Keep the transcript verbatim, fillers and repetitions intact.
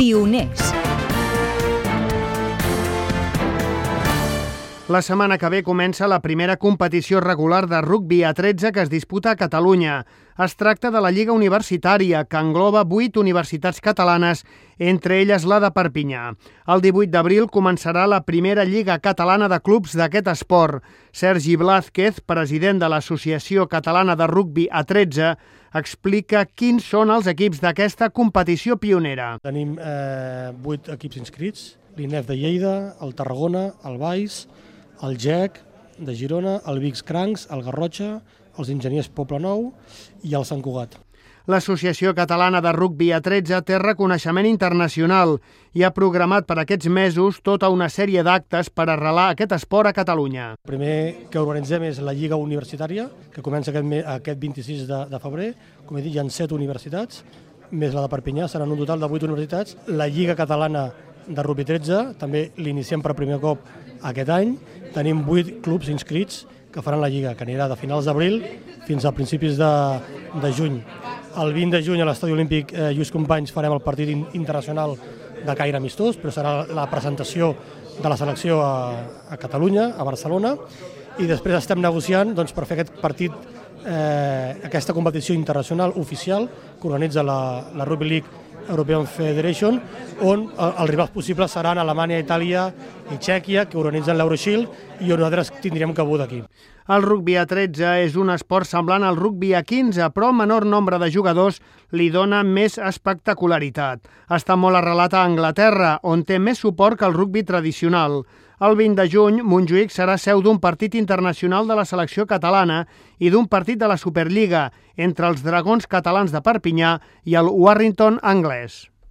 Pioners. La setmana que ve comença la primera competició regular de rugbi a tretze que es disputa a Catalunya. Es tracta de la Lliga Universitària, que engloba vuit universitats catalanes, entre elles la de Perpinyà. El divuit d'abril començarà la primera Lliga Catalana de Clubs d'aquest esport. Sergi Blázquez, president de l'Associació Catalana de Rugbi a tretze, explica quins són els equips d'aquesta competició pionera. Tenim eh, vuit equips inscrits, l'I N E F de Lleida, el Tarragona, el Valls, el G E C de Girona, el Vics Crancs, el Garrotxa, els Enginyers Poblenou i el Sant Cugat. L'Associació Catalana de Rugbi a tretze té reconeixement internacional i ha programat per aquests mesos tota una sèrie d'actes per arrelar aquest esport a Catalunya. El primer que organitzem és la Lliga Universitària, que comença aquest, aquest vint-i-sis de, de febrer. Com he dit, hi ha set universitats, més la de Perpinyà, seran un total de vuit universitats. La Lliga Catalana de Rugbi tretze, també l'iniciem per primer cop aquest any. Tenim vuit clubs inscrits que faran la Lliga, que anirà de finals d'abril fins a principis de, de juny. El vint de juny a l'Estadi Olímpic eh, Lluís Companys farem el partit internacional de caire amistós, però serà la presentació de la selecció a, a Catalunya, a Barcelona, i després estem negociant doncs, per fer aquest partit, eh, aquesta competició internacional oficial que organitza la, la Rugby League European Federation, on els rivals possibles seran Alemanya, Itàlia i Txèquia, que organitzen l'Euroshield, i on nosaltres tindríem cabut aquí. El rugbi a tretze és un esport semblant al rugbi a quinze, però el menor nombre de jugadors li dona més espectacularitat. Està molt arrelat a Anglaterra, on té més suport que el rugbi tradicional. El vint de juny, Montjuïc serà seu d'un partit internacional de la selecció catalana i d'un partit de la Superliga entre els Dragons catalans de Perpinyà i el Warrington anglès.